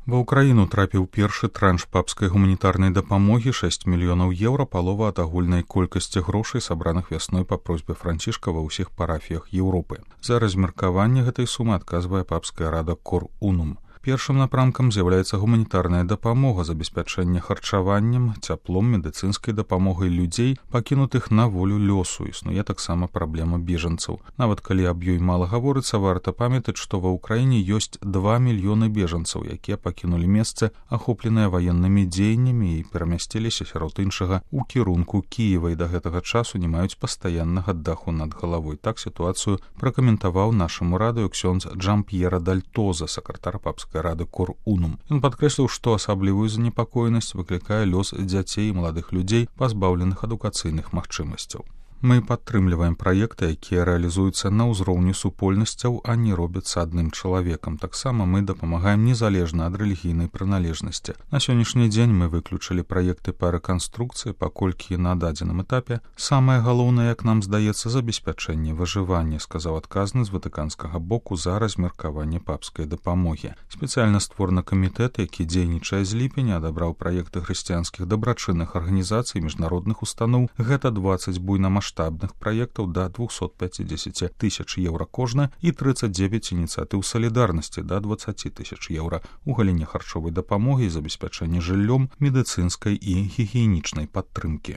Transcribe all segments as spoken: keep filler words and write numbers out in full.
Ва ўкраіну трапіў першы транш папскай гуманітарнай дапамогі шэсць мільёнаў еўра, палова ад агульнай колькасці грошай, сабраных вясной па просьбе Францішка ва ўсіх парафіях Еўропы. За размеркаванне гэтай сумы адказвае папская рада Кор Унум. Першым напрамкам з'яўляецца гуманітарная дапамога, забеспячэнне харчаваннем, цяплом, медыцынскай дапамогай людзей, пакінутых на волю лёсу. Існуе таксама праблема бежанцаў. Нават калі аб ёй мала гаворыцца, варта памятаць, што ва ўкраіне ёсць два мільёны бежанцаў, якія пакінулі месцы, ахопленыя ваеннымі дзеяннямі і перамясціліся сярод іншага ў кірунку Кіева і да гэтага часу не маюць пастаяннага даху над галавой. Так сітуацыю пракаментаваў нашаму радыё ксёндз Джамп'ера Дальтоза, сакратар папскай рады Кор Унум. Ён падкрэсліў, што асаблівую занепакоенасць выклікае лёс дзяцей і маладых людзей, пазбаўленых адукацыйных магчымасцяў. Мы падтрымліваем праекты, якія рэалізуюцца на ўзроўні супольнасцяў, а не робяцца адным чалавекам. Таксама мы дапамагаем незалежна ад рэлігійнай прыналежнасці. На сённяшні дзень мы выключылі праекты па рэканструкцыі, паколькі на дадзеным этапе самае галоўнае, як нам здаецца, забеспячэнне выжывання, сказаў адказны з ватыканскага боку за размеркаванне папскай дапамогі. Спецыяльна створаны камітэт, які дзейнічае з ліпеня, адабраў праекты хрысціянскіх дабрачынных арганізацый, міжнародных устаноў. Гэта дваццаць буйнамасштабных маштабных праектаў да двухсот пяцідзесяці тысяч еўра кожна і трыццаць дзевяць ініцыятыў салідарнасці да дваццаці тысяч еўра у галіне харчовай дапамогі і забеспячэння жыллём, медыцынскай і гігіенічнай падтрымкі.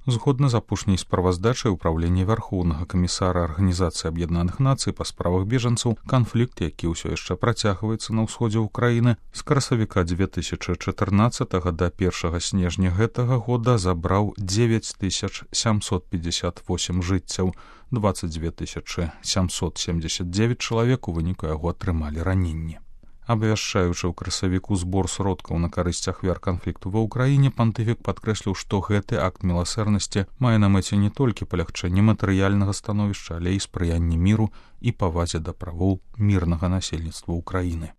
Згодна з апошняй справаздачай Управлення Вярхоўнага камісара Арганізацыі Аб'яднаных Нацый па справах бежанцаў, канфлікт, які ўсё яшчэ працягваецца на ўсходзе ўкраіны, з красавіка дзве тысячы чатырнаццатага да першага снежня гэтага года забраў дзевяць тысяч сямсот пятьдесят восемь жыццяў, дваццаць дзве тысячы сямсот семьдесят девять чалавек у выніку яго атрымалі раненні. Абвяшчаючы ў красавіку збор сродкаў на карысць ахвяр канфлікту ва ўкраіне, пантыфік падкрэсліў, што гэты акт міласэрнасці мае на мэце не толькі палягчэнне матэрыяльнага становішча, але і спрыянне міру і павазе да правоў мірнага насельніцтва ўкраіны.